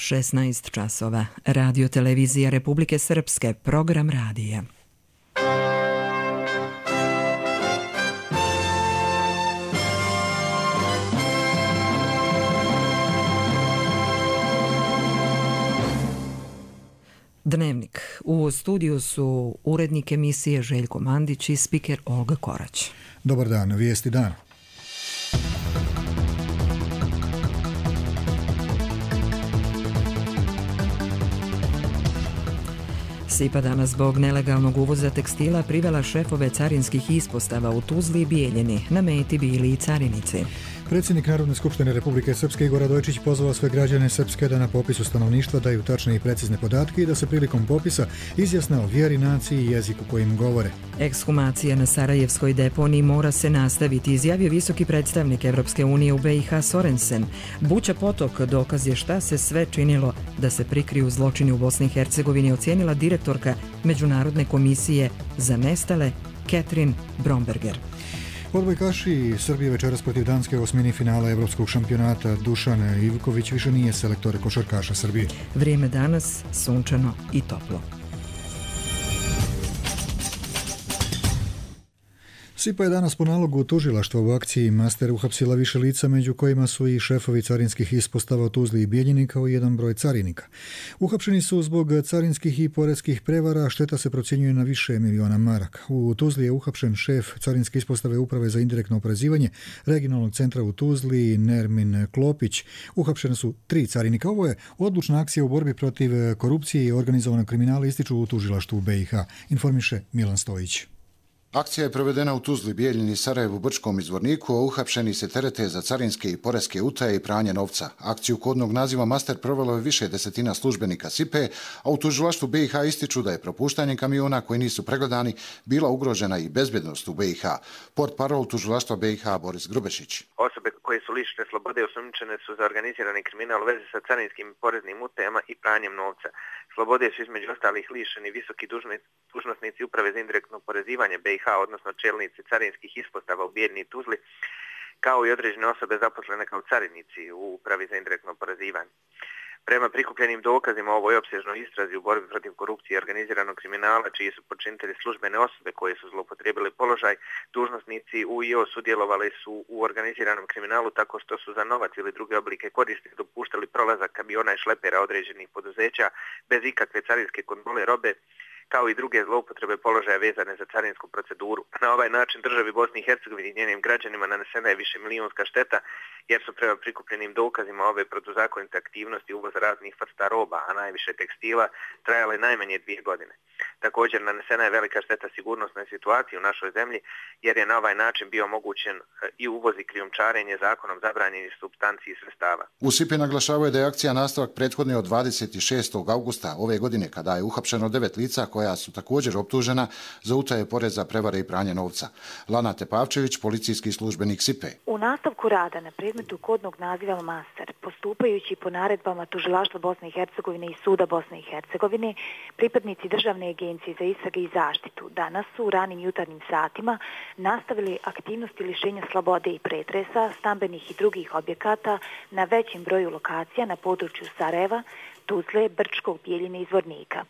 16 časova. Radio televizija Republike Srpske, program radija. Dnevnik. U studiju su urednik emisije Željko Mandić i spiker Olga Korać. Dobar dan, vijesti dana. SIPA danas zbog nelegalnog uvoza tekstila privela šefove carinskih ispostava u Tuzli i Bijeljini. Na meti bili i carinici. Predsjednik Narodne skupštine Republike Srpske Igor Radojičić pozvao sve građane Srpske da na popisu stanovništva daju tačne i precizne podatke i da se prilikom popisa izjasne o vjeri, naciji i jeziku kojim govore. Ekshumacija na Sarajevskoj deponiji mora se nastaviti, izjavio visoki predstavnik Evropske unije u BiH Sorensen. Buća potok dokaz je šta se sve činilo da se prikriju zločini u Bosni i Hercegovini, ocijenila direktorka Međunarodne komisije za nestale Catherine Bromberger. Odbojkaši Srbije večeras protiv Danske u osmini finala Evropskog šampionata. Dušan Ivković više nije selektor košarkaša Srbije. Vrijeme danas sunčano i toplo. SIPA je danas po nalogu tužilaštva u akciji Master uhapsila više lica, među kojima su i šefovi carinskih ispostava u Tuzli i Bijeljini kao i jedan broj carinika. Uhapšeni su zbog carinskih i poreskih prevara, šteta se procjenjuje na više miliona maraka. U Tuzli je uhapšen šef carinske ispostave Uprave za indirektno oporezivanje regionalnog centra u Tuzli, Nermin Klopić. Uhapšene su 3 carinika. Ovo je odlučna akcija u borbi protiv korupcije i organizovanog kriminala, ističu u tužilaštvu BiH, informiše Milan Stojić. Akcija je provedena u Tuzli, Bijeljini, Sarajevu, Brčkom i Zvorniku, a uhapšeni se terete za carinske i poreske utaje i pranje novca. Akciju kodnog naziva Master provelo je više desetina službenika SIPE, a u tužilaštvu BiH ističu da je propuštanjem kamiona koji nisu pregledani bila ugrožena i bezbjednost u BiH. Portparol tužilaštva BiH Boris Grubešić. Osobe koje su lišene slobode osumnjičene su za organizirani kriminal u vezi sa carinskim i poreznim utajama i pranjem novca. Slobode su između ostalih lišeni visoki dužnosnici Uprave za indirektno oporezivanje BiH, odnosno čelnici carinskih ispostava u Bijeljini i Tuzli, kao i određene osobe zaposlene kao carinici u Upravi za indirektno oporezivanje. Prema prikupljenim dokazima o ovoj opsežnoj istrazi u borbi protiv korupcije i organiziranog kriminala, čiji su počinitelji službene osobe koje su zloupotrijebile položaj, dužnosnici UIO sudjelovali su u organiziranom kriminalu tako što su za novac ili druge oblike koristi dopuštali prolazak kamiona i šlepera određenih poduzeća bez ikakve carinske kontrole robe, kao i druge zloupotrebe položaja vezane za carinsku proceduru. Na ovaj način državi Bosni i Hercegovini i njenim građanima nanesena je više milijunska šteta, jer su prema prikupljenim dokazima ove protuzakonite aktivnosti uvoza raznih vrsta roba, a najviše tekstila, trajale najmanje 2 godine. Također nanesena je velika šteta sigurnosnoj situaciji u našoj zemlji, jer je na ovaj način bio omogućen i uvoz i krijumčarenje zakonom zabranjenih supstanci i sredstava. U SIPI naglašavaju da je akcija nastavak prethodne od 26. augusta ove godine, kada je uhapšeno 9 lica koja su također optužena za utaje poreza, prevare i pranje novca. Lana Tepavčević, policijski službenik SIPE. U nastavku rada na predmetu kodnog naziva Master, postupajući po naredbama Tužilaštva Bosne i Hercegovine i Suda Bosne i Hercegovine, pripadnici Državne agencije za istrage i zaštitu danas su u ranim jutarnjim satima nastavili aktivnosti lišenja slobode i pretresa stambenih i drugih objekata na većem broju lokacija na području Sarajeva, Tuzle, Brčkog, Bijeljine i Zvornika.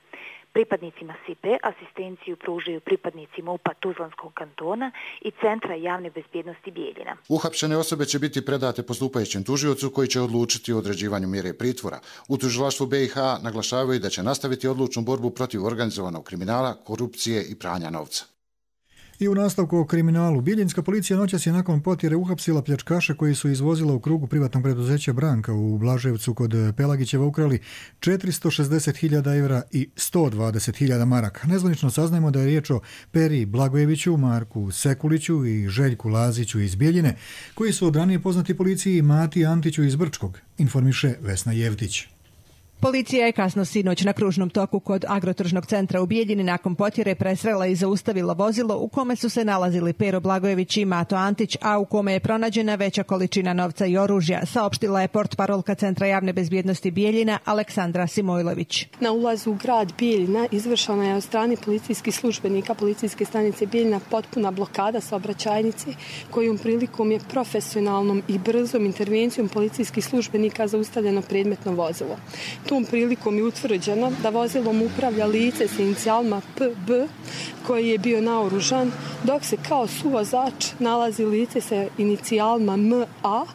Pripadnicima SIPE asistenciju pružaju pripadnici MUP-a Tuzlanskog kantona i Centra javne bezbjednosti Bijeljina. Uhapšene osobe će biti predate postupajućem tužiocu koji će odlučiti o određivanju mjere pritvora. U tužilaštvu BiH naglašavaju da će nastaviti odlučnu borbu protiv organizovanog kriminala, korupcije i pranja novca. I u nastavku o kriminalu, bijeljinska policija noćas je nakon potjere uhapsila pljačkaše koji su izvozila u krugu privatnog preduzeća Branka u Blaževcu kod Pelagićeva ukrali 460.000 evra i 120.000 maraka. Nezvanično saznajemo da je riječ o Peri Blagojeviću, Marku Sekuliću i Željku Laziću iz Bijeljine, koji su od ranije poznati policiji Mati Antiću iz Brčkog, informiše Vesna Jevtić. Policija je kasno sinoć na kružnom toku kod Agrotržnog centra u Bijeljini nakon potjere presrela i zaustavila vozilo u kome su se nalazili Pero Blagojević i Mato Antić, a u kome je pronađena veća količina novca i oružja, saopštila je portparolka Centra javne bezbjednosti Bijeljina Aleksandra Simojlović. Na ulazu u grad Bijeljina izvršena je od strane policijskih službenika policijske stanice Bijeljina potpuna blokada saobraćajnice, kojom prilikom je profesionalnom i brzom intervencijom policijskih službenika zaustavljeno predmetno vozilo. Tom prilikom je utvrđeno da vozilom upravlja lice sa inicijalima PB koji je bio naoružan, dok se kao suvozač nalazi lice sa inicijalima MA,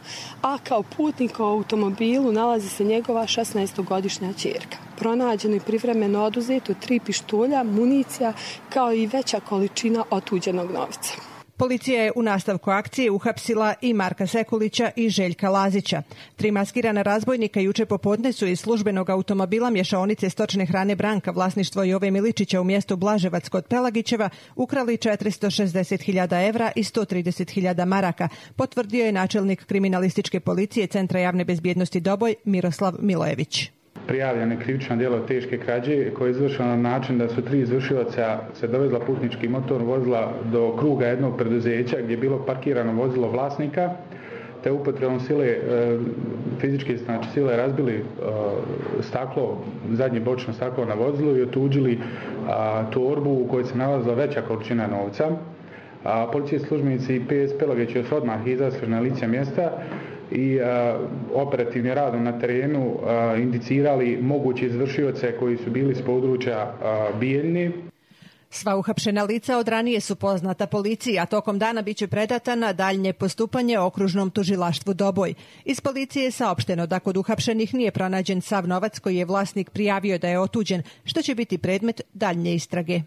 a kao putnik u automobilu nalazi se njegova 16-godišnja ćerka. Pronađeno je privremeno oduzeto 3 pištolja, municija kao i veća količina otuđenog novca. Policija je u nastavku akcije uhapsila i Marka Sekulića i Željka Lazića. 3 maskirana razbojnika juče popodne su iz službenog automobila mješaonice stočne hrane Branka, vlasništvo Jove Miličića u mjestu Blaževac kod Pelagićeva, ukrali 460.000 evra i 130.000 maraka, potvrdio je načelnik kriminalističke policije Centra javne bezbjednosti Doboj Miroslav Milojević. Prijavljeno krivično djelo teške krađe koje je izvršeno na način da su 3 izvršioca se dovezla putnički motor vozila do kruga jednog preduzeća gdje je bilo parkirano vozilo vlasnika, te upotrebom sile, fizičke sile razbili staklo, zadnje bočno staklo na vozilu i otuđili torbu u kojoj se nalazila veća količina novca. Policijski službenici i PS Pelagić su odmah izašli na lice mjesta i operativnim radom na terenu indicirali moguće izvršioce koji su bili s područja Bijeljine. Sva uhapšena lica od ranije su poznata policiji, a tokom dana biće predata na daljnje postupanje okružnom tužilaštvu Doboj. Iz policije je saopšteno da kod uhapšenih nije pronađen sav novac koji je vlasnik prijavio da je otuđen, što će biti predmet daljnje istrage.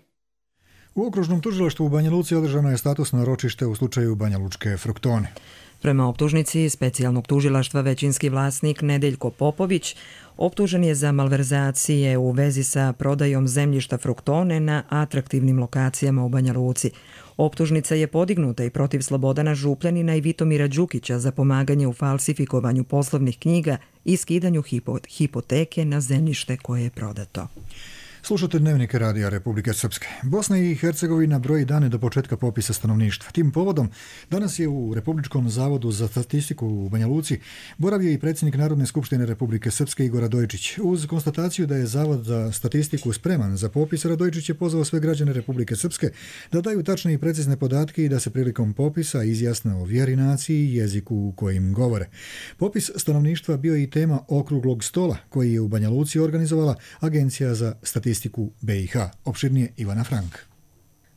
U okružnom tužilaštvu u Banja Luci održano je statusno ročište u slučaju banjalučke fruktone. Prema optužnici specijalnog tužilaštva većinski vlasnik Nedeljko Popović optužen je za malverzacije u vezi sa prodajom zemljišta fruktone na atraktivnim lokacijama u Banja Luci. Optužnica je podignuta i protiv Slobodana Župljanina i Vitomira Đukića za pomaganje u falsifikovanju poslovnih knjiga i skidanju hipoteke na zemljište koje je prodato. Slušate Dnevnike Radija Republike Srpske. Bosna i Hercegovina broji dane do početka popisa stanovništva. Tim povodom danas je u Republičkom zavodu za statistiku u Banja Luci boravio i predsjednik Narodne skupštine Republike Srpske Igor Radojičić. Uz konstataciju da je Zavod za statistiku spreman za popis, Radojičić je pozvao sve građane Republike Srpske da daju tačne i precizne podatke i da se prilikom popisa izjasne o vjeri, naciji i jeziku u kojim govore. Popis stanovništva bio je i tema okruglog stola koji je u Banja Luci organizovala Agencija za statistiku BiH. Opširnije Ivana Frank.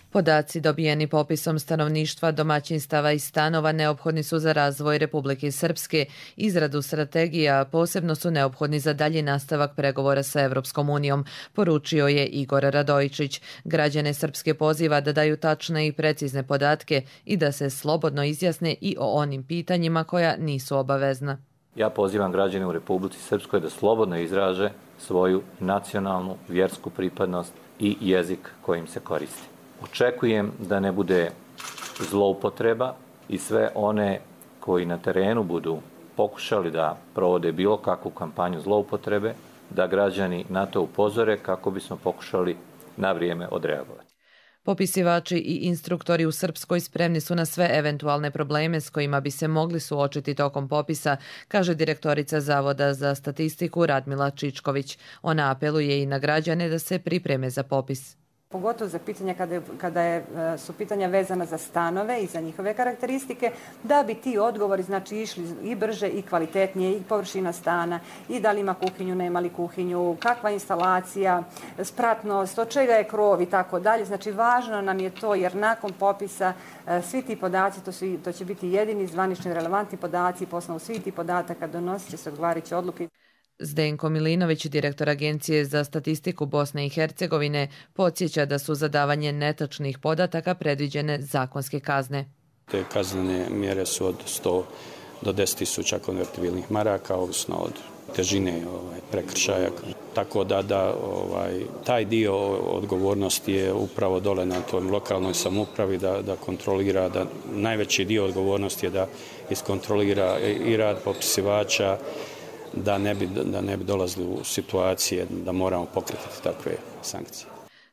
Podaci dobijeni popisom stanovništva, domaćinstava i stanova neophodni su za razvoj Republike Srpske. Izradu strategija posebno su neophodni za dalji nastavak pregovora sa Evropskom unijom, poručio je Igor Radojičić. Građane Srpske poziva da daju tačne i precizne podatke i da se slobodno izjasne i o onim pitanjima koja nisu obavezna. Ja pozivam građane u Republici Srpskoj da slobodno izraže svoju nacionalnu, vjersku pripadnost i jezik kojim se koristi. Očekujem da ne bude zloupotreba i sve one koji na terenu budu pokušali da provode bilo kakvu kampanju zloupotrebe, da građani na to upozore kako bismo pokušali na vrijeme odreagovati. Popisivači i instruktori u Srpskoj spremni su na sve eventualne probleme s kojima bi se mogli suočiti tokom popisa, kaže direktorica Zavoda za statistiku Radmila Čičković. Ona apeluje i na građane da se pripreme za popis. Pogotovo za pitanja kada su pitanja vezana za stanove i za njihove karakteristike, da bi ti odgovori išli i brže i kvalitetnije, i površina stana, i da li ima kuhinju, nema li kuhinju, kakva instalacija, spratnost, od čega je krov i tako dalje. Znači važno nam je to jer nakon popisa svi ti podaci, to će biti jedini zvanični relevantni podaci i po osnovu svih ti podataka donosit će se odgovarajuće odluke. Zdenko Milinović, direktor Agencije za statistiku Bosne i Hercegovine, podsjeća da su za davanje netačnih podataka predviđene zakonske kazne. Te kaznene mjere su od 100 do 10.000 konvertibilnih maraka, ovisno od težine prekršaja. Tako da taj dio odgovornosti je upravo dole na toj lokalnoj samoupravi da kontrolira, da najveći dio odgovornosti je da iskontrolira i rad popisivača, da ne bi dolazili u situacije da moramo pokretati takve sankcije.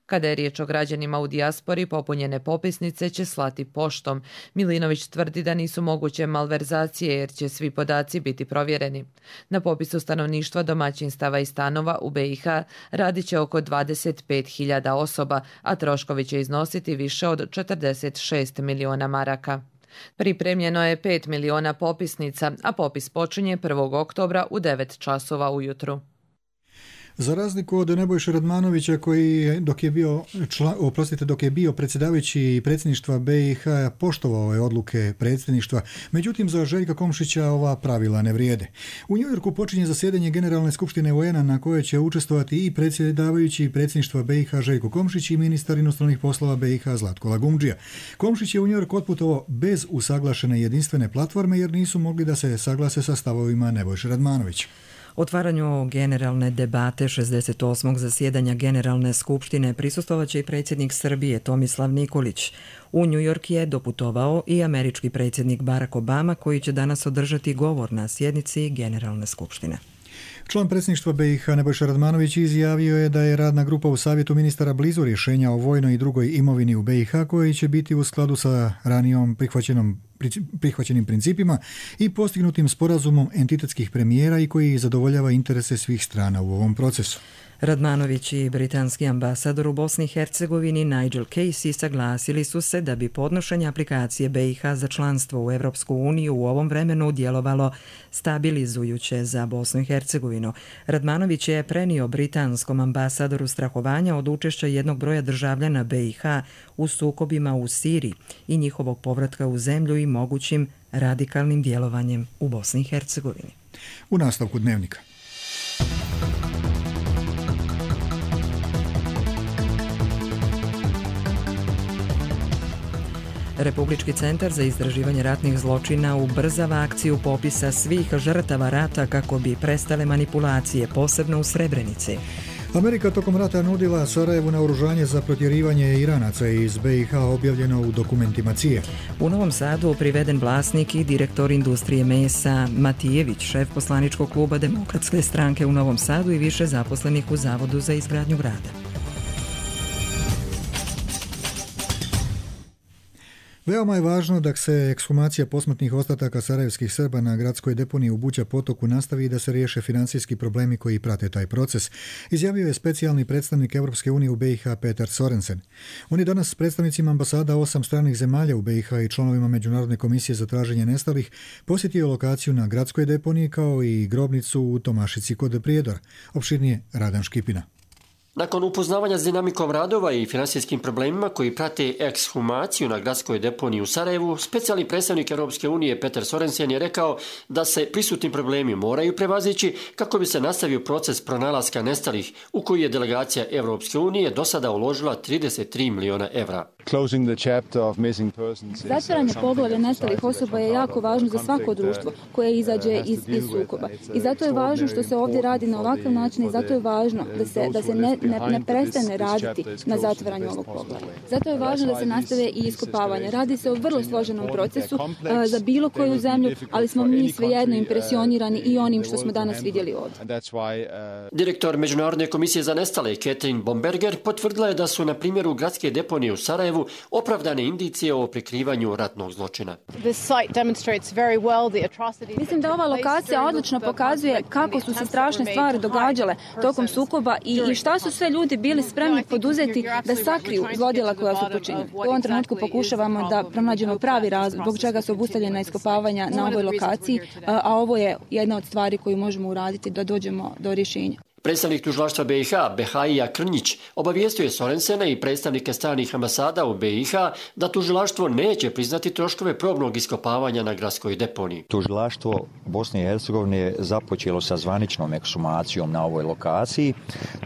Kada je riječ o građanima u dijaspori, popunjene popisnice će slati poštom. Milinović tvrdi da nisu moguće malverzacije jer će svi podaci biti provjereni. Na popisu stanovništva, domaćinstava i stanova u BiH radit će oko 25.000 osoba, a troškovi će iznositi više od 46 miliona maraka. Pripremljeno je 5 miliona popisnica, a popis počinje 1. oktobra u 9 časova ujutru. Za razliku od Nebojše Radmanovića koji dok je bio predsjedavajući predsjedništva BiH poštovao ove odluke predsjedništva, međutim za Željka Komšića ova pravila ne vrijede. U Njujorku počinje zasjedanje Generalne skupštine UN-a na kojoj će učestvovati i predsjedavajući predsjedništva BiH Željko Komšić i ministar inostranih poslova BiH Zlatko Lagumdžija. Komšić je u Njujork otputovao bez usaglašene jedinstvene platforme jer nisu mogli da se saglase sa stavovima Nebojše Radmanovića. Otvaranju generalne debate 68. zasjedanja Generalne skupštine prisustvovat će i predsjednik Srbije Tomislav Nikolić. U New York je doputovao i američki predsjednik Barack Obama koji će danas održati govor na sjednici Generalne skupštine. Član predsjedništva BiH Nebojša Radmanović izjavio je da je radna grupa u savjetu ministara blizu rješenja o vojnoj i drugoj imovini u BiH koji će biti u skladu sa ranijom prihvaćenim principima i postignutim sporazumom entitetskih premijera i koji zadovoljava interese svih strana u ovom procesu. Radmanović i britanski ambasador u Bosni i Hercegovini Nigel Casey saglasili su se da bi podnošenje aplikacije BiH za članstvo u Europsku uniju u ovom vremenu djelovalo stabilizujuće za Bosnu i Hercegovinu. Radmanović je prenio britanskom ambasadoru strahovanja od učešća jednog broja državljana BiH u sukobima u Siriji i njihovog povratka u zemlju i mogućim radikalnim djelovanjem u Bosni i Hercegovini. U nastavku dnevnika. Republički centar za istraživanje ratnih zločina ubrzava akciju popisa svih žrtava rata kako bi prestale manipulacije, posebno u Srebrenici. Amerika tokom rata nudila Sarajevu naoružanje za protjerivanje Iranaca iz BiH, objavljeno u dokumentima CIA. U Novom Sadu priveden vlasnik i direktor industrije mesa Matijević, šef poslaničkog kluba Demokratske stranke u Novom Sadu i više zaposlenih u Zavodu za izgradnju grada. Veoma je važno da se ekshumacija posmrtnih ostataka sarajevskih Srba na gradskoj deponiji u Buća potoku nastavi i da se riješe financijski problemi koji prate taj proces, izjavio je specijalni predstavnik Europske unije u BiH Petar Sorensen. On je danas s predstavnicima ambasada 8 stranih zemalja u BiH i članovima Međunarodne komisije za traženje nestalih posjetio lokaciju na gradskoj deponiji kao i grobnicu u Tomašici kod Prijedora. Opširnije Radan Škipina. Nakon upoznavanja s dinamikom radova i financijskim problemima koji prate ekshumaciju na gradskoj deponiji u Sarajevu, specijalni predstavnik Europske unije Petar Sorensen je rekao da se prisutni problemi moraju prevazići kako bi se nastavio proces pronalaska nestalih u koji je delegacija Europske unije do sada uložila 33 miliona evra. Zatvaranje poglavlja nestalih osoba je jako važno za svako društvo koje izađe iz sukoba. I zato je važno što se ovdje radi na ovakav način i zato je važno da se ne prestane raditi na zatvaranju ovog poglavlja. Zato je važno da se nastave i iskopavanje. Radi se o vrlo složenom procesu za bilo koju zemlju, ali smo mi svejedno impresionirani i onim što smo danas vidjeli ovdje. Direktor Međunarodne komisije za nestale Catherine Bomberger potvrdila je da su na primjeru gradske deponije u Sarajevu opravdane indicije o prikrivanju ratnog zločina. Mislim da ova lokacija odlično pokazuje kako su se strašne stvari događale tokom sukoba i šta su sve ljudi bili spremni poduzeti da sakriju zlodjela koja su počinili. U ovom trenutku pokušavamo da pronađemo pravi razlog zbog čega su obustavljena iskopavanja na ovoj lokaciji, a ovo je jedna od stvari koju možemo uraditi da dođemo do rješenja. Predstavnik tužilaštva BiH, Behaija Krnjić, obavijestio je Sorensena i predstavnike stranih ambasada u BiH da tužilaštvo neće priznati troškove probnog iskopavanja na gradskoj deponiji. Tužilaštvo Bosne i Hercegovine je započelo sa zvaničnom ekshumacijom na ovoj lokaciji.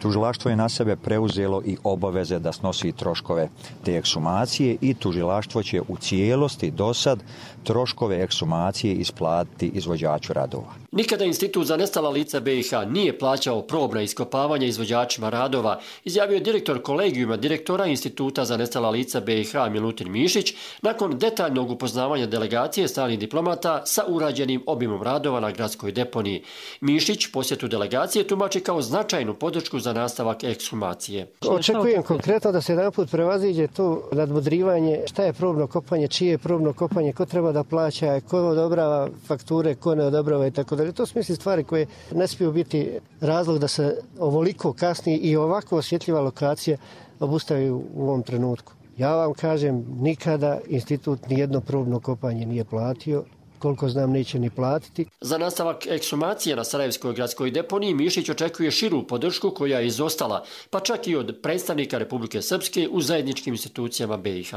Tužilaštvo je na sebe preuzelo i obaveze da snosi troškove te ekshumacije i tužilaštvo će u cijelosti do sad troškove ekshumacije isplatiti izvođaču radova. Nikada Institut za nestala lica BiH nije plaćao probna iskopavanja izvođačima radova, izjavio je direktor kolegijuma direktora Instituta za nestala lica BiH Milutin Mišić nakon detaljnog upoznavanja delegacije stranih diplomata sa urađenim obimom radova na gradskoj deponiji. Mišić posjetu delegacije tumači kao značajnu podršku za nastavak ekshumacije. Očekujem konkretno da se jedanput prevaziđe to nadmudrivanje šta je probno kopanje, čije je probno kopanje, ko treba da plaća, ko odobrava fakture, ko ne odobrava i tako dalje. To su misli stvari koje ne smiju biti razlog da se ovoliko kasni i ovako osjetljiva lokacija obustavi u ovom trenutku. Ja vam kažem, nikada institut nijedno probno kopanje nije platio, koliko znam neće ni platiti. Za nastavak ekshumacije na Sarajevskoj gradskoj deponiji Mišić očekuje širu podršku koja je izostala, pa čak i od predstavnika Republike Srpske u zajedničkim institucijama BiH.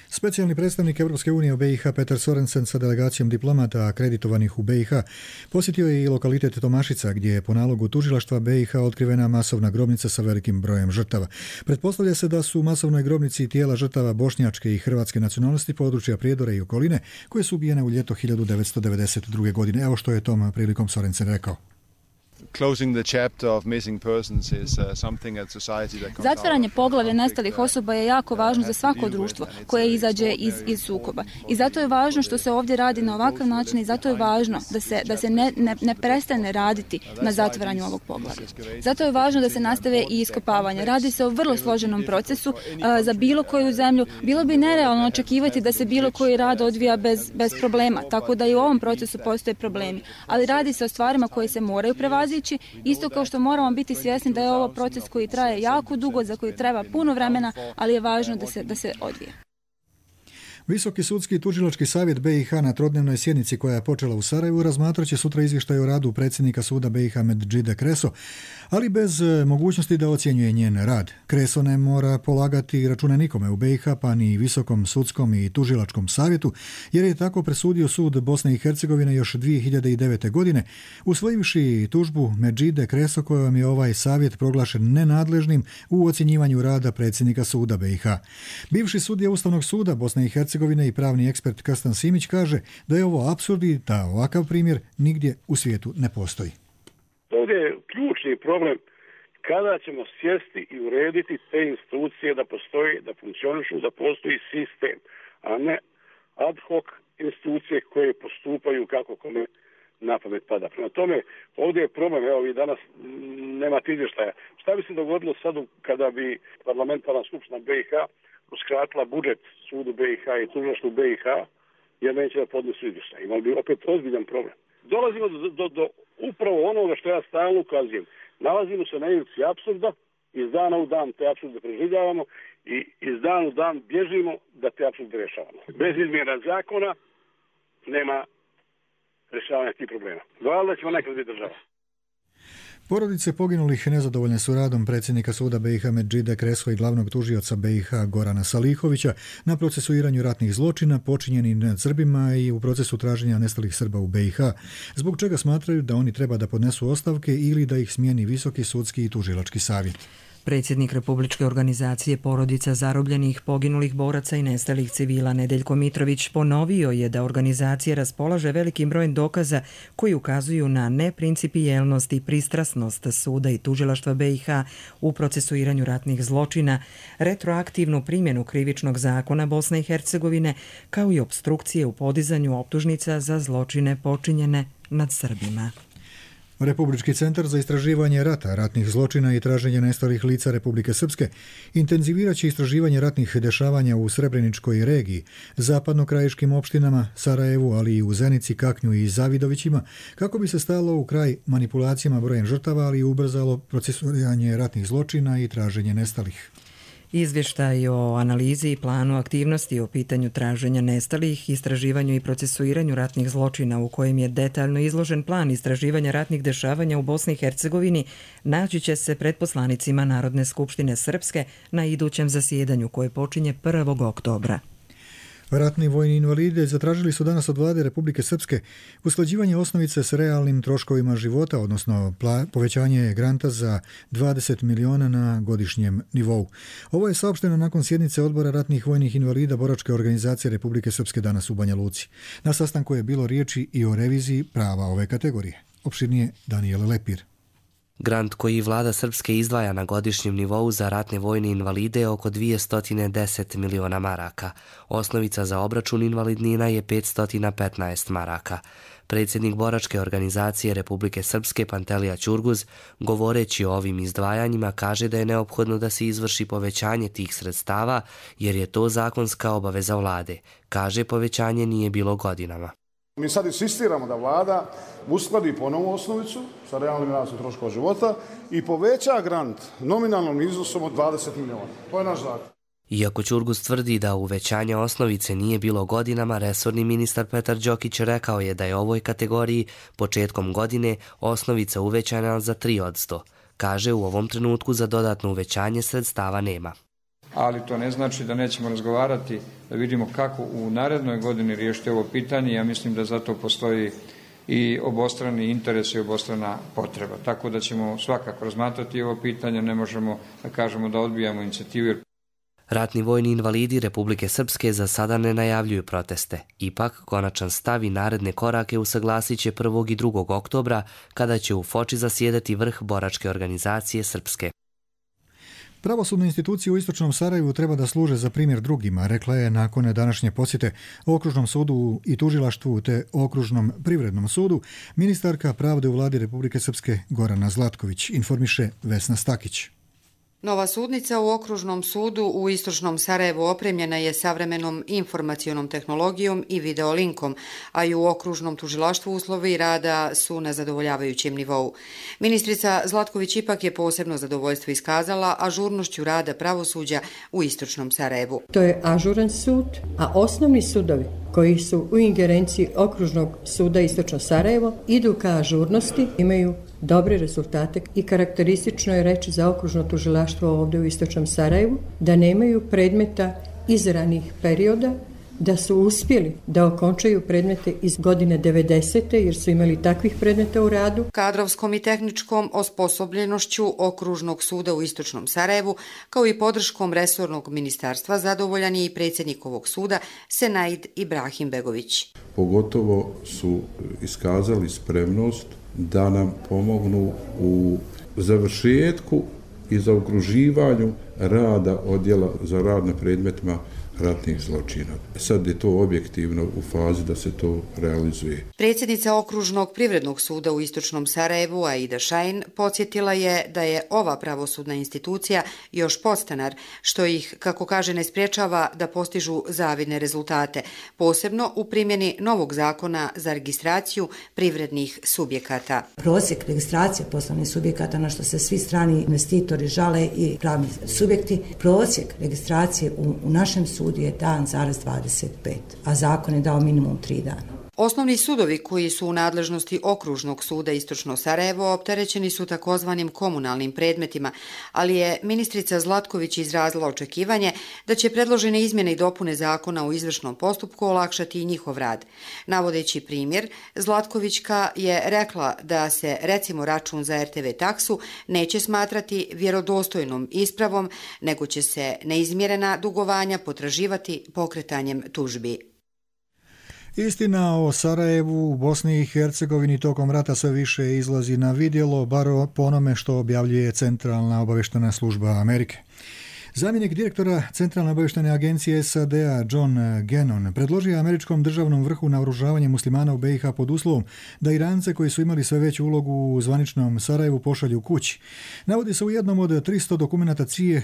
Specijalni predstavnik Evropske unije u BiH Petar Sorensen sa delegacijom diplomata akreditovanih u BiH posjetio je i lokalitet Tomašica gdje je po nalogu tužilaštva BiH otkrivena masovna grobnica sa velikim brojem žrtava. Pretpostavlja se da su u masovnoj grobnici tijela žrtava bošnjačke i hrvatske nacionalnosti područja Prijedore i okoline koje su ubijene u ljeto 1992. godine. Evo što je tom prilikom Sorensen rekao. Zatvaranje poglavlja nestalih osoba je jako važno za svako društvo koje izađe iz sukoba. I zato je važno što se ovdje radi na ovakav način i zato je važno da se ne prestane raditi na zatvaranju ovog poglavlja. Zato je važno da se nastave i iskopavanja. Radi se o vrlo složenom procesu za bilo koju zemlju. Bilo bi nerealno očekivati da se bilo koji rad odvija bez problema, tako da i u ovom procesu postoje problemi. Ali radi se o stvarima koje se moraju prevazići, isto kao što moramo biti svjesni da je ovo proces koji traje jako dugo, za koji treba puno vremena, ali je važno da se odvije. Visoki sudski tužilački savjet BiH na trodnevnoj sjednici koja je počela u Sarajevu razmatrat će sutra izvještaj o radu predsjednika suda BiH Medžide Kreso, ali bez mogućnosti da ocjenjuje njen rad. Kreso ne mora polagati račune nikome u BiH, pa ni Visokom sudskom i tužilačkom savjetu, jer je tako presudio sud Bosne i Hercegovine još 2009. godine, usvojivši tužbu Medžide Kreso kojom je ovaj savjet proglašen nenadležnim u ocjenjivanju rada predsjednika suda BiH. Bivši sudija Ustavnog suda Bosne i Hercegovine i pravni ekspert Kastan Simić kaže da je ovo apsurd i da ovakav primjer nigdje u svijetu ne postoji. Ovdje je ključni problem kada ćemo sjesti i urediti te institucije da postoji, da funkcionišu, da postoji sistem, a ne ad hoc institucije koje postupaju kako kome na pamet pada. Prema tome, ovdje je problem, evo vi danas nemate izvještaja. Šta bi se dogodilo sad kada bi parlamentarna skupština BiH uskratila budžet sudu BiH i tužilaštvu BiH jer neće da podnesu izvještaj? Imali bi opet ozbiljan problem. Dolazimo do upravo onoga što ja stalno ukazujem. Nalazimo se na ivici apsurda, iz dana u dan te apsurde preživljavamo i iz dana u dan bježimo da te apsurde rješavamo. Bez izmjena zakona nema rješavanja tih problema. Valjda ćemo nekad biti država. Porodice poginulih nezadovoljne su radom predsjednika suda BiH Medžide Kreso i glavnog tužioca BiH Gorana Salihovića na procesuiranju ratnih zločina počinjenih nad Srbima i u procesu traženja nestalih Srba u BiH, zbog čega smatraju da oni treba da podnesu ostavke ili da ih smijeni Visoki sudski i tužilački savjet. Predsjednik Republičke organizacije porodica zarobljenih, poginulih boraca i nestalih civila Nedeljko Mitrović ponovio je da organizacija raspolaže velikim brojem dokaza koji ukazuju na neprincipijelnost i pristrasnost suda i tužilaštva BiH u procesuiranju ratnih zločina, retroaktivnu primjenu krivičnog zakona Bosne i Hercegovine, kao i opstrukcije u podizanju optužnica za zločine počinjene nad Srbima. Republički centar za istraživanje rata, ratnih zločina i traženje nestalih lica Republike Srpske intenzivirat će istraživanje ratnih dešavanja u Srebreničkoj regiji, zapadnokrajiškim opštinama, Sarajevu, ali i u Zenici, Kaknju i Zavidovićima, kako bi se stalo u kraj manipulacijama brojem žrtava, ali i ubrzalo procesuiranje ratnih zločina i traženje nestalih. Izvještaj o analizi i planu aktivnosti o pitanju traženja nestalih, istraživanju i procesuiranju ratnih zločina u kojem je detaljno izložen plan istraživanja ratnih dešavanja u Bosni i Hercegovini naći će se pred poslanicima Narodne skupštine Srpske na idućem zasjedanju koje počinje 1. oktobra. Ratni vojni invalidi zatražili su danas od vlade Republike Srpske usklađivanje osnovice s realnim troškovima života, odnosno povećanje granta za 20 miliona na godišnjem nivou. Ovo je saopšteno nakon sjednice odbora ratnih vojnih invalida Boračke organizacije Republike Srpske danas u Banja Luci. Na sastanku je bilo riječi i o reviziji prava ove kategorije. Opširnije Danijele Lepir. Grant koji vlada Srpske izdvaja na godišnjem nivou za ratne vojne invalide je oko 210 miliona maraka. Osnovica za obračun invalidnina je 515 maraka. Predsjednik Boračke organizacije Republike Srpske Pantelija Ćurguz, govoreći o ovim izdvajanjima, kaže da je neophodno da se izvrši povećanje tih sredstava jer je to zakonska obaveza vlade. Kaže, povećanje nije bilo godinama. Mi sad insistiramo da vlada uskladi ponovu osnovicu sa realnim rastom troškova života i poveća grant nominalnom iznosom od 20 miliona. To je naš zakon. Iako Ćurguz tvrdi da uvećanje osnovice nije bilo godinama, resorni ministar Petar Đokić rekao je da je ovoj kategoriji početkom godine osnovica uvećana za 3%. Kaže, u ovom trenutku za dodatno uvećanje sredstava nema. Ali to ne znači da nećemo razgovarati, da vidimo kako u narednoj godini riješiti ovo pitanje. Ja mislim da zato postoji i obostrani interes i obostrana potreba. Tako da ćemo svakako razmatrati ovo pitanje, ne možemo da kažemo da odbijamo inicijativu. Ratni vojni invalidi Republike Srpske za sada ne najavljuju proteste. Ipak, konačan stav i naredne korake usaglasit će 1. i 2. oktobra, kada će u Foči zasjedati vrh Boračke organizacije Srpske. Pravosudne institucije u istočnom Sarajevu treba da služe za primjer drugima, rekla je nakon današnje posjete Okružnom sudu i tužilaštvu te Okružnom privrednom sudu ministarka pravde u vladi Republike Srpske Gorana Zlatković, informiše Vesna Stakić. Nova sudnica u Okružnom sudu u istočnom Sarajevu opremljena je savremenom informacionom tehnologijom i videolinkom, a i u Okružnom tužilaštvu uslovi rada su na zadovoljavajućem nivou. Ministrica Zlatković ipak je posebno zadovoljstvo iskazala ažurnošću rada pravosuđa u istočnom Sarajevu. To je ažuran sud, a osnovni sudovi koji su u ingerenciji Okružnog suda istočno Sarajevo idu ka ažurnosti, imaju dobre rezultate i karakteristično je reći za okružno tužilaštvo ovdje u istočnom Sarajevu da nemaju predmeta iz ranih perioda, da su uspjeli da okončaju predmete iz godine 90. jer su imali takvih predmeta u radu. Kadrovskom i tehničkom osposobljenošću Okružnog suda u istočnom Sarajevu, kao i podrškom resornog ministarstva, zadovoljan je i predsjednik ovog suda, Senaid Ibrahim Begović. Pogotovo su iskazali spremnost da nam pomognu u završetku i zaokruživanju rada odjela za rad na predmetima ratnih zločina. Sad je to objektivno u fazi da se to realizuje. Predsjednica Okružnog privrednog suda u istočnom Sarajevu, Aida Šajn, podsjetila je da je ova pravosudna institucija još podstanar, što ih, kako kaže, ne sprječava da postižu zavidne rezultate, posebno u primjeni novog zakona za registraciju privrednih subjekata. Prosjek registracije poslovnih subjekata, na što se svi strani investitori žale i pravni subjekti, prosjek registracije u našem sudu je dan zarez 25, a zakon je dao minimum 3 dana. Osnovni sudovi koji su u nadležnosti Okružnog suda istočno Sarajevo opterećeni su takozvanim komunalnim predmetima, ali je ministrica Zlatković izrazila očekivanje da će predložene izmjene i dopune zakona u izvršnom postupku olakšati i njihov rad. Navodeći primjer, Zlatkovićka je rekla da se recimo račun za RTV taksu neće smatrati vjerodostojnom ispravom, nego će se neizmjerena dugovanja potraživati pokretanjem tužbi. Istina o Sarajevu u Bosni i Hercegovini tokom rata sve više izlazi na vidjelo, bar po onome što objavljuje Centralna obavještajna služba Amerike. Zamjenik direktora Centralne obavještajne agencije SAD-a John Gannon predložio američkom državnom vrhu naoružavanje muslimana u BiH pod uslovom da Irance koji su imali sve veću ulogu u zvaničnom Sarajevu pošalju kući. Navodi se u jednom od 300 dokumenata CIA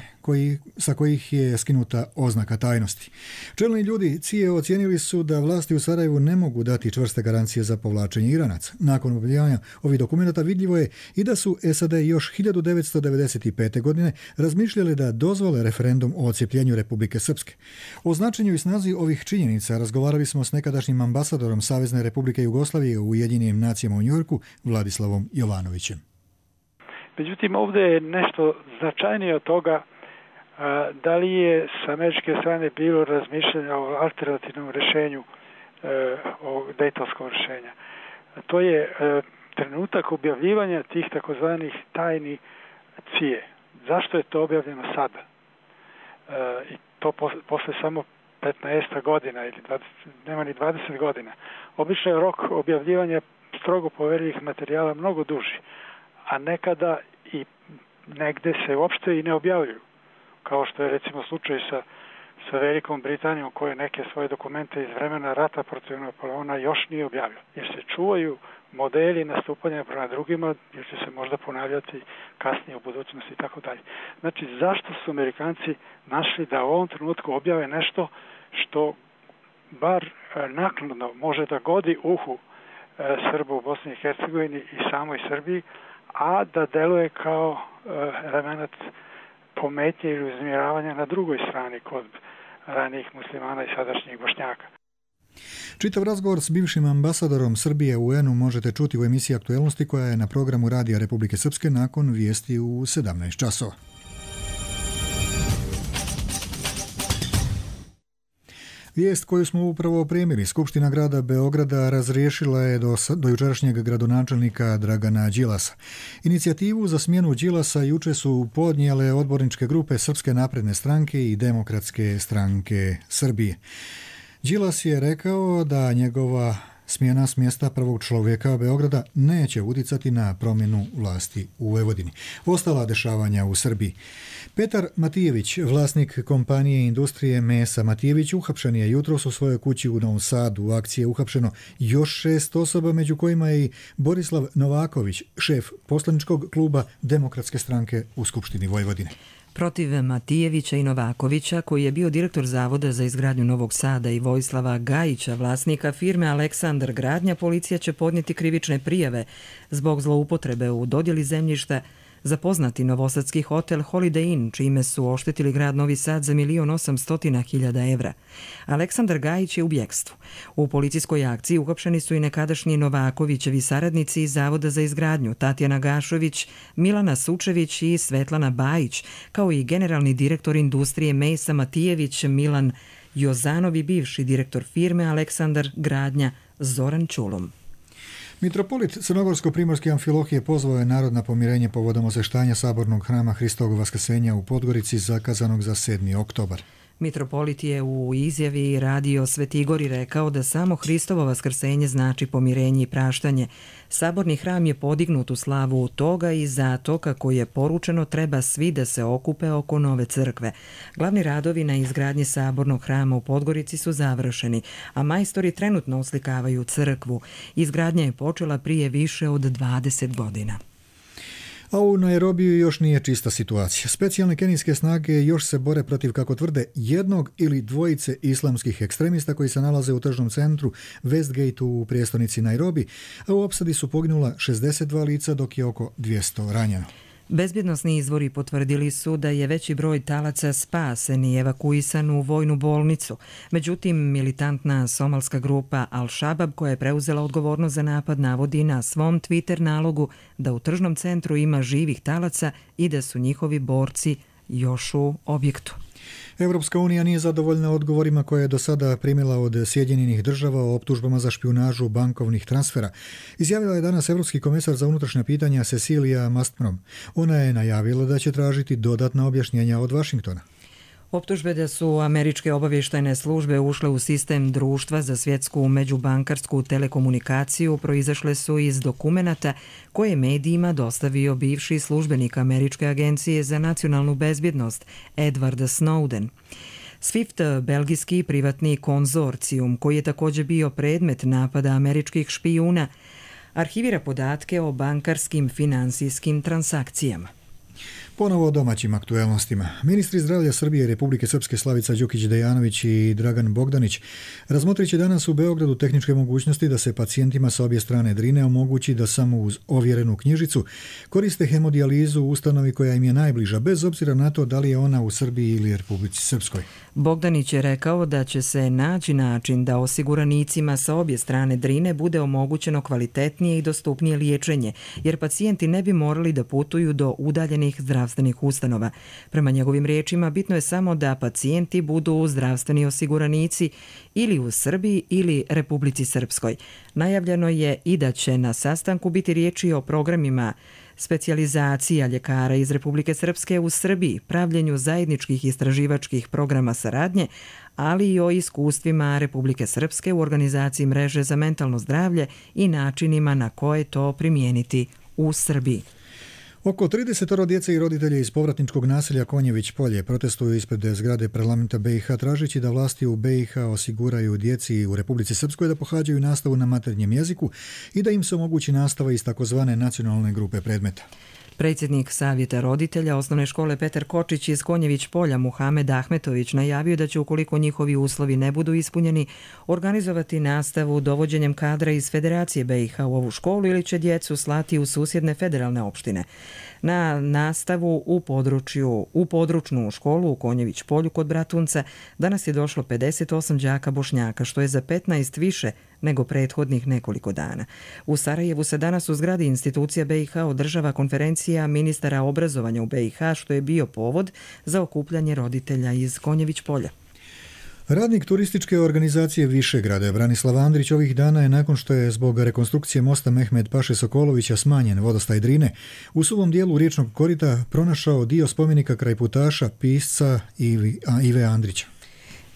sa kojih je skinuta oznaka tajnosti. Čelni ljudi CIA ocijenili su da vlasti u Sarajevu ne mogu dati čvrste garancije za povlačenje Iranaca. Nakon objavljivanja ovih dokumenata vidljivo je i da su SAD još 1995. godine razmišljali da dozvole referendum o odcijepljenju Republike Srpske. O značenju i snazi ovih činjenica razgovarali smo s nekadašnjim ambasadorom Savezne Republike Jugoslavije u Ujedinjenim nacijama u Njujorku, Vladislavom Jovanovićem. Međutim, ovdje je nešto značajnije od toga, Da li je sa američke strane bilo razmišljanja o alternativnom rješenju ovog dejtonskog rješenja? To je trenutak objavljivanja tih takozvanih tajni CIA. Zašto je to objavljeno sada? I to posle samo 15 godina ili 20, nema ni 20 godina. Obično je rok objavljivanja strogo poverljivih materijala mnogo duži, a nekada i negde se uopšte i ne objavljuju. Kao što je recimo slučaj sa Velikom Britanijom, koja neke svoje dokumente iz vremena rata protiv Napoleona još nije objavila. Jer se čuvaju modeli nastupanja prema drugima, jer će se možda ponavljati kasnije u budućnosti i tako dalje. Znači, zašto su Amerikanci našli da u ovom trenutku objave nešto što bar naknadno može da godi uhu Srba u Bosni i Hercegovini i samoj Srbiji, a da deluje kao element pometnje ili uznemiravanja na drugoj strani kod ranijih muslimana i sadašnjih Bošnjaka. Čitav razgovor s bivšim ambasadorom Srbije u UN-u možete čuti u emisiji Aktuelnosti koja je na programu Radija Republike Srpske nakon vijesti u 17 časova. Vijest koju smo upravo opremili, Skupština grada Beograda razriješila je do jučerašnjeg gradonačelnika Dragana Đilasa. Inicijativu za smjenu Đilasa juče su podnijele odborničke grupe Srpske napredne stranke i Demokratske stranke Srbije. Đilas je rekao da njegova smjena s mjesta prvog čovjeka Beograda neće uticati na promjenu vlasti u Vojvodini. Ostala dešavanja u Srbiji. Petar Matijević, vlasnik kompanije industrije mesa Matijević, uhapšen je jutros u svojoj kući u Novom Sadu. U akciji je uhapšeno još 6 osoba, među kojima je i Borislav Novaković, šef poslaničkog kluba Demokratske stranke u Skupštini Vojvodine. Protiv Matijevića i Novakovića, koji je bio direktor Zavoda za izgradnju Novog Sada, i Vojislava Gajića, vlasnika firme Aleksandar Gradnja, policija će podnijeti krivične prijave zbog zloupotrebe u dodjeli zemljišta za poznati novosadski hotel Holiday Inn, čime su oštetili grad Novi Sad za 1.800.000 evra. Aleksandar Gajić je u bjekstvu. U policijskoj akciji uhapšeni su i nekadašnji Novakovićevi saradnici iz Zavoda za izgradnju, Tatjana Gašović, Milana Sučević i Svetlana Bajić, kao i generalni direktor industrije mesa Matijević Milan Jozanov i bivši direktor firme Aleksandar Gradnja Zoran Čulom. Mitropolit Crnogorsko-primorske Amfilohije pozvao je narod na pomirenje povodom osveštanja sabornog hrama Hristovog Vaskrsenja u Podgorici zakazanog za 7. oktobar. Mitropolit je u izjavi Radio Sveti Igor rekao da samo Hristovo vaskrsenje znači pomirenje i praštanje. Saborni hram je podignut u slavu toga i zato, kako je poručeno, treba svi da se okupe oko nove crkve. Glavni radovi na izgradnji sabornog hrama u Podgorici su završeni, a majstori trenutno oslikavaju crkvu. Izgradnja je počela prije više od 20 godina. A u Nairobiju još nije čista situacija. Specijalne kenijske snage još se bore protiv, kako tvrde, jednog ili dvojice islamskih ekstremista koji se nalaze u tržnom centru Westgate u prijestolnici Nairobi, a u opsadi su poginula 62 lica, dok je oko 200 ranjeno. Bezbjednosni izvori potvrdili su da je veći broj talaca spasen i evakuisan u vojnu bolnicu. Međutim, militantna somalska grupa Al-Shabaab, koja je preuzela odgovornost za napad, navodi na svom Twitter nalogu da u tržnom centru ima živih talaca i da su njihovi borci još u objektu. Evropska unija nije zadovoljna odgovorima koje je do sada primila od Sjedinjenih država o optužbama za špijunažu bankovnih transfera. Izjavila je danas Evropski komesar za unutrašnja pitanja Cecilia Malmström. Ona je najavila da će tražiti dodatna objašnjenja od Vašingtona. Optužbe da su američke obavještajne službe ušle u sistem Društva za svjetsku međubankarsku telekomunikaciju proizašle su iz dokumenata koje je medijima dostavio bivši službenik Američke agencije za nacionalnu bezbjednost Edward Snowden. SWIFT, belgijski privatni konzorcijum, koji je također bio predmet napada američkih špijuna, arhivira podatke o bankarskim finansijskim transakcijama. Ponovo o domaćim aktuelnostima. Ministri zdravlja Srbije i Republike Srpske Slavica Đukić-Dejanović i Dragan Bogdanić razmotrit će danas u Beogradu tehničke mogućnosti da se pacijentima sa obje strane Drine omogući da samo uz ovjerenu knjižicu koriste hemodijalizu u ustanovi koja im je najbliža, bez obzira na to da li je ona u Srbiji ili Republici Srpskoj. Bogdanić je rekao da će se naći način da osiguranicima sa obje strane Drine bude omogućeno kvalitetnije i dostupnije liječenje, jer pacijenti ne bi morali da putuju do udaljenih zdravstvenih ustanova. Prema njegovim riječima, bitno je samo da pacijenti budu zdravstveni osiguranici ili u Srbiji ili Republici Srpskoj. Najavljeno je i da će na sastanku biti riječi o programima specijalizacija ljekara iz Republike Srpske u Srbiji, pravljenju zajedničkih istraživačkih programa saradnje, ali i o iskustvima Republike Srpske u organizaciji mreže za mentalno zdravlje i načinima na koje to primijeniti u Srbiji. Oko 30 djece i roditelja iz povratničkog naselja Konjević polje protestuju ispred zgrade parlamenta BiH tražeći da vlasti u BiH osiguraju djeci u Republici Srpskoj da pohađaju nastavu na maternjem jeziku i da im se omogući nastava iz takozvane nacionalne grupe predmeta. Predsjednik Savjeta roditelja osnovne škole Petar Kočić iz Konjević polja Muhamed Ahmetović najavio da će, ukoliko njihovi uslovi ne budu ispunjeni, organizovati nastavu dovođenjem kadra iz Federacije BiH u ovu školu ili će djecu slati u susjedne federalne opštine. Na nastavu u područnu školu u Konjević polju kod Bratunca danas je došlo 58 đaka Bošnjaka, što je za 15 više nego prethodnih nekoliko dana. U Sarajevu se danas u zgradi institucija BiH održava konferencija ministara obrazovanja u BiH, što je bio povod za okupljanje roditelja iz Konjević polja. Radnik turističke organizacije Višegrada Branislav Andrić ovih dana je, nakon što je zbog rekonstrukcije mosta Mehmed Paše Sokolovića smanjen vodostaj Drine, u suvom dijelu riječnog korita pronašao dio spomenika krajputaša, pisca Ive Andrića.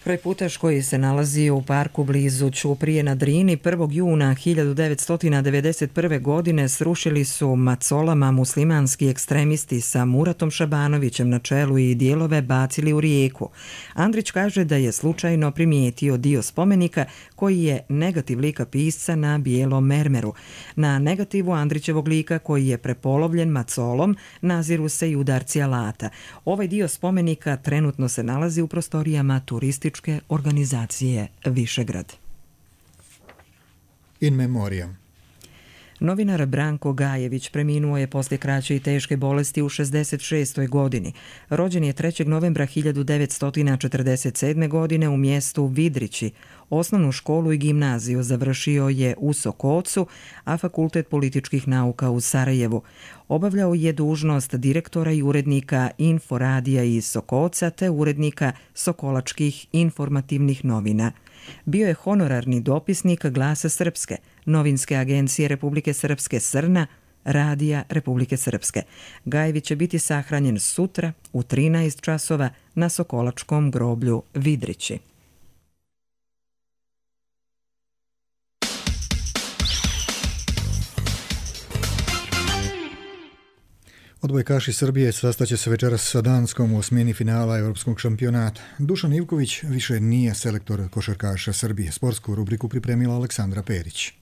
Krajputaš koji se nalazi u parku blizu Ćuprije na Drini 1. juna 1991. godine srušili su macolama muslimanski ekstremisti sa Muratom Šabanovićem na čelu i dijelove bacili u rijeku. Andrić kaže da je slučajno primijetio dio spomenika koji je negativ lika pisca na bijelom mermeru. Na negativu Andrićevog lika koji je prepolovljen macolom naziru se i udarci alata. Ovaj dio spomenika trenutno se nalazi u prostorijama turističke organizacije Višegrad. In memoriam. Novinar Branko Gajević preminuo je poslije kraće i teške bolesti u 66. godini. Rođen je 3. novembra 1947. godine u mjestu Vidrići. Osnovnu školu i gimnaziju završio je u Sokocu, a Fakultet političkih nauka u Sarajevu. Obavljao je dužnost direktora i urednika Inforadija iz Sokoca te urednika Sokolačkih informativnih novina. Bio je honorarni dopisnik Glasa Srpske, novinske agencije Republike Srpske Srna, Radija Republike Srpske. Gajević će biti sahranjen sutra u 13 časova na Sokolačkom groblju Vidrići. Odbojkaši Srbije sastaće se večeras sa Danskom u osmini finala Europskog šampionata. Dušan Ivković više nije selektor košarkaša Srbije. Sportsku rubriku pripremila Aleksandra Perić.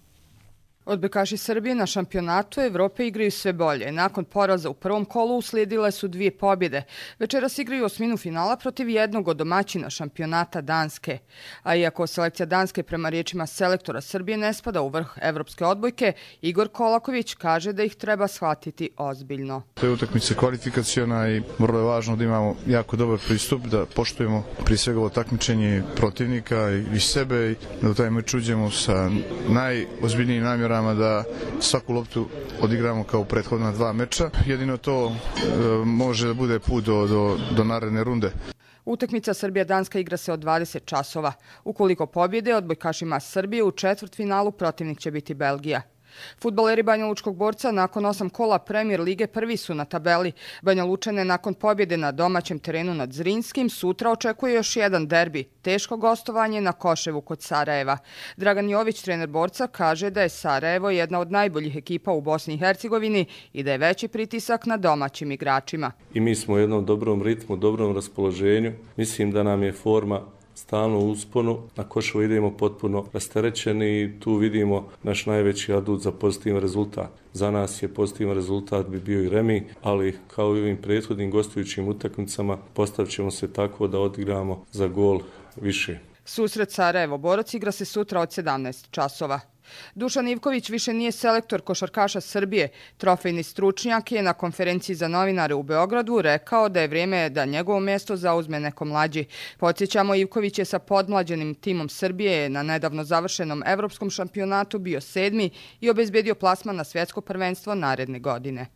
Odbojkaši Srbije na šampionatu Evrope igraju sve bolje. Nakon poraza u prvom kolu uslijedile su 2 pobjede. Večeras igraju osminu finala protiv jednog od domaćina šampionata Danske. A iako selekcija Danske prema riječima selektora Srbije ne spada u vrh evropske odbojke, Igor Kolaković kaže da ih treba shvatiti ozbiljno. To je utakmica kvalifikaciona i vrlo je važno da imamo jako dobar pristup, da poštujemo prije svega ovo takmičenje protivnika i sebe i da u taj meč uđemo sa najozbiljnijim namjerama da svaku loptu odigramo kao prethodna 2 meča. Jedino to može da bude put do naredne runde. Utakmica Srbija-Danska igra se od 20 časova. Ukoliko pobjede, odbojkašima Srbije u četvrtfinalu protivnik će biti Belgija. Fudbaleri Banja Lučkog Borca nakon 8 kola Premier lige prvi su na tabeli. Banja Lučane nakon pobjede na domaćem terenu nad Zrinskim sutra očekuje još jedan derbi, teško gostovanje na Koševu kod Sarajeva. Dragan Jović, trener Borca, kaže da je Sarajevo jedna od najboljih ekipa u Bosni i Hercegovini i da je veći pritisak na domaćim igračima. I mi smo u jednom dobrom ritmu, dobrom raspoloženju. Mislim da nam je forma stalno u usponu, na Koševo idemo potpuno rasterećeni i tu vidimo naš najveći adut za pozitivan rezultat. Za nas je pozitivan rezultat bi bio i remi, ali kao i ovim prethodnim gostujućim utakmicama postavit ćemo se tako da odigramo za gol više. Susret Sarajevo-Borac igra se sutra od 17 časova. Dušan Ivković više nije selektor košarkaša Srbije. Trofejni stručnjak je na konferenciji za novinare u Beogradu rekao da je vrijeme da njegovo mjesto zauzme neko mlađi. Podsjećamo, Ivković je sa podmlađenim timom Srbije na nedavno završenom evropskom šampionatu bio 7. i obezbedio plasman na svjetsko prvenstvo naredne godine.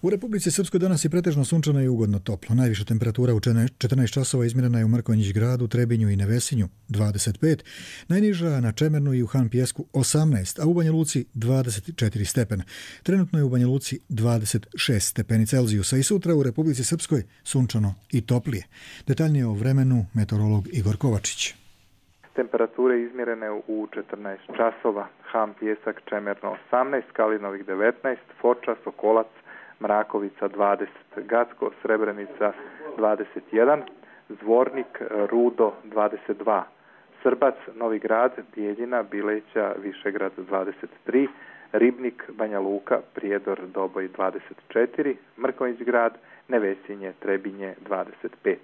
U Republici Srpskoj danas je pretežno sunčano i ugodno toplo. Najviša temperatura u 14 časova izmjerena je u Mrkonjić gradu, Trebinju i Nevesinju 25, najniža na Čemernu i u Han Pjesku 18, a u Banja Luci 24 stepena. Trenutno je u Banja Luci 26 stepeni Celzijusa i sutra u Republici Srpskoj sunčano i toplije. Detaljnije o vremenu meteorolog Igor Kovačić. Temperature izmjerene u 14 časova, Han Pjesak, Čemerno 18, Kalinovik 19, Foča, Sokolac, Mrakovica 20, Gacko, Srebrenica 21, Zvornik, Rudo 22, Srbac, Novi Grad, Bijeljina, Bileća, Višegrad 23, Ribnik, Banja Luka, Prijedor, Doboj 24, Mrkonjić grad, Nevesinje, Trebinje 25.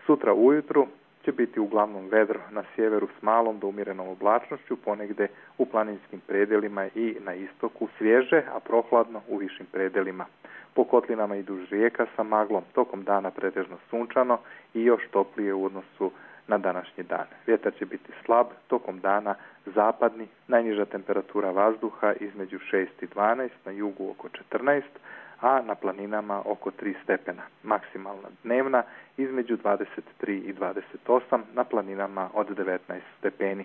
Sutra ujutru će biti uglavnom vedro na sjeveru s malom do umjerenom oblačnošću, ponegde u planinskim predelima i na istoku svježe, a prohladno u višim predelima. Po kotlinama i duž rijeka sa maglom, tokom dana pretežno sunčano i još toplije u odnosu na današnji dan. Vjetar će biti slab, tokom dana zapadni, najniža temperatura vazduha između 6 i 12, na jugu oko 14, a na planinama oko 3 stepena. Maksimalna dnevna između 23 i 28, na planinama od 19 stepeni.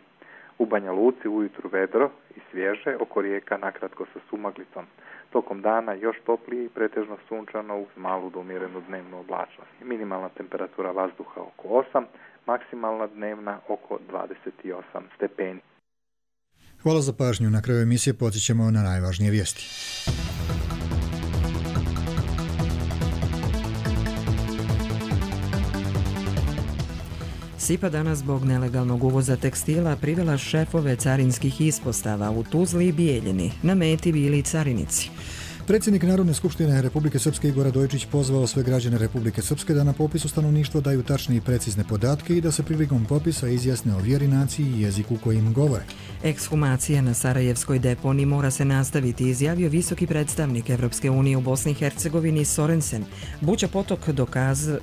U Banja Luci ujutru vedro i svježe, oko rijeka nakratko sa sumaglicom. Tokom dana još toplije i pretežno sunčano uz malu do umjerenu dnevnu oblačnost. Minimalna temperatura vazduha oko 8, maksimalna dnevna oko 28 stepeni. Hvala za pažnju. Na kraju emisije podsjećamo na najvažnije vijesti. SIPA danas zbog nelegalnog uvoza tekstila privela šefove carinskih ispostava u Tuzli i Bijeljini. Na meti bili carinici. Predsjednik Narodne skupštine Republike Srpske Igor Radojičić pozvao sve građane Republike Srpske da na popisu stanovništva daju tačne i precizne podatke i da se prilikom popisa izjasne o vjeri, naciji i jeziku kojim govore. Ekshumacija na Sarajevskoj deponiji mora se nastaviti, izjavio visoki predstavnik Evropske unije u Bosni i Hercegovini Sorensen. Buća potok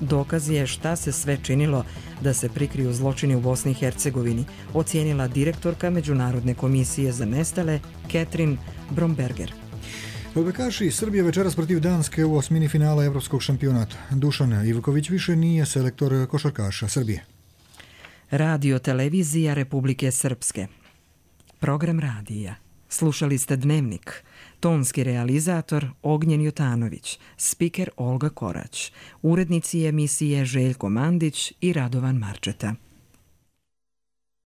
dokaz je šta se sve činilo da se prikriju zločini u Bosni i Hercegovini, ocijenila direktorka Međunarodne komisije za nestale Ketrin Bromberger. Odbojkaši Srbije večeras protiv Danske u osmini finala Evropskog šampionata. Dušan Ivković više nije selektor košarkaša Srbije. Radio televizija Republike Srpske. Program radija. Slušali ste Dnevnik. Tonski realizator Ognjen Jutanović. Spiker Olga Korać. Urednici emisije Željko Mandić i Radovan Marčeta.